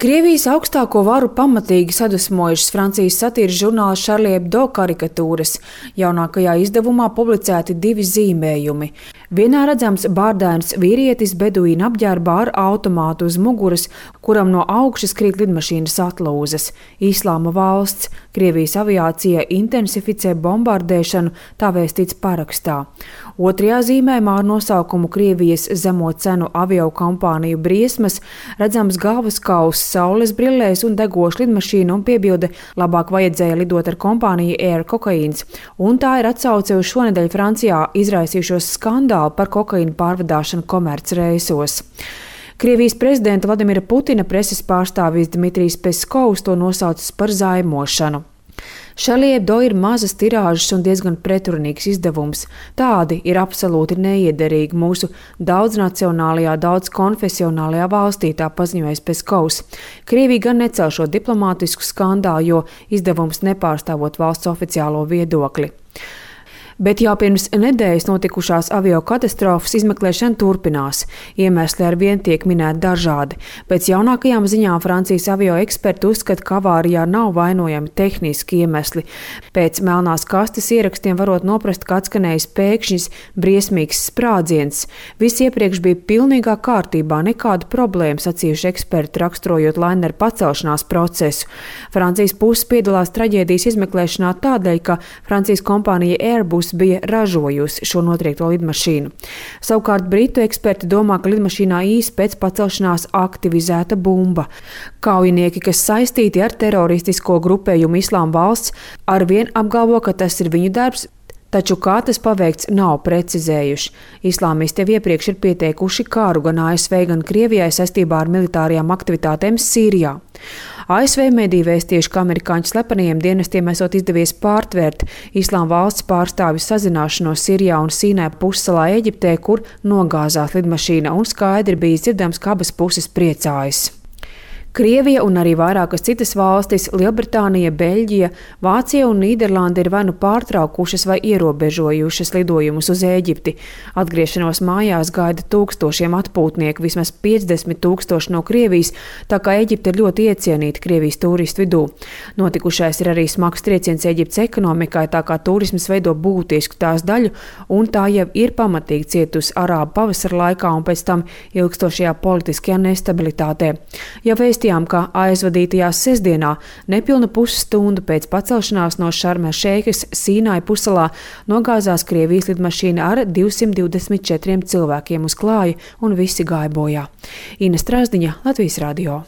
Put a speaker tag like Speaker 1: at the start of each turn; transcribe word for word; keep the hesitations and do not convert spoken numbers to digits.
Speaker 1: Krievijas augstāko varu pamatīgi sadusmojušas Francijas satīras žurnāla Charlie Hebdo karikatūras. Jaunākajā izdevumā publicēti divi zīmējumi. Vienā redzams bārdains vīrietis beduīna apģērbā ar automātu uz muguras, kuram no augšas krīt lidmašīnas atlūzas. Islāma valsts, Krievijas aviācija intensificē bombardēšanu, tā vēstīts parakstā. Otrajā zīmējumā ar nosaukumu Krievijas zemo cenu aviokompāniju briesmas redzams galvaskauss saules brillēs un degoša lidmašīna un piebilde labāk vajadzēja lidot ar kompāniju Air Cocaīns. Un tā ir atsauce uz šonedēļ Francijā izraisījušos skandālu par kokaīnu pārvadāšanu komercreisos. Krievijas prezidenta Vladimira Putina preses pārstāvis Dmitrijs Peskovs to nosaucis par zaimošanu. Charlie Hebdo ir mazas tirāžas un diezgan pretrunīgs izdevums. Tādi ir absolūti neiederīgi mūsu daudznacionālajā, daudzkonfesionālajā valstī, tā paziņoja Peskovs. Krievija gan necel šo diplomātisku skandālu, jo izdevums nepārstāvot valsts oficiālo viedokli. Bet jau pirms nedēļas notikušās aviokatastrofas izmeklēšana turpinās. Iemesli ar vien tiek minēti dažādi. Pēc jaunākajām ziņām Francijas avio eksperti uzskata, ka avārijā nav vainojami tehniski iemesli. Pēc melnās kastes ierakstiem varot noprast, ka atskanējis pēkšņs briesmīgs sprādziens. Viss iepriekš bija pilnīgā kārtībā, nekāda problēma, sacījuši eksperti, raksturojot laineru pacelšanās procesu. Francijas puse piedalās traģēdijas izmeklēšanā tādēļ, ka Francijas kompānija Airbus bija ražojusi šo notriekto lidmašīnu. Savukārt britu eksperti domā, ka lidmašīnā īsi pēc pacelšanās aktivizēta bumba. Kaujinieki, kas saistīti ar teroristisko grupējumu Islāma valsts, arvien apgalvo, ka tas ir viņu darbs, taču kā tas paveikts nav precizējuši. Islāmisti jau iepriekš ir pieteikuši kāru gan A S V, gan Krievijai saistībā ar militārajām aktivitātēm Sīrijā. A S V mediji vēstījuši, ka amerikāņu slepenajiem dienestiem esot izdevies pārtvērt Islāma valsts pārstāvju sazināšanos Sirijā un Sīnai pussalā Eģiptē, kur nogāzās lidmašīna, un skaidri bija dzirdams, ka abas puses priecājas. Krievija un arī vairākas citas valstis, Lielbritānija, Beļģija, Vācija un Nīderlanda ir vai nu pārtraukušas vai ierobežojušas lidojumus uz Ēģipti. Atgriešanos mājās gaida tūkstošiem atpūtnieku, vismaz piecdesmit tūkstoši no Krievijas, tā kā Ēģipte ir ļoti iecienīta Krievijas turistu vidū. Notikušais ir arī smags trieciens Ēģiptes ekonomikai, tā kā turisms veido būtisku tās daļu, un tā jau ir pamatīgi cietusi arābu pavasara laikā un pēc tam ilgstošajā politiskajā nestabilitātē. Ja ka aizvadītajā sestdienā nepilna pusstundu pēc pacelšanās no Šarm el Šeikas Sīnai pussalā nogāzās Krievijas lidmašīna ar divsimt divdesmit četriem cilvēkiem uz klāja un visi gāja bojā. Ina Strasdiņa, Latvijas radio.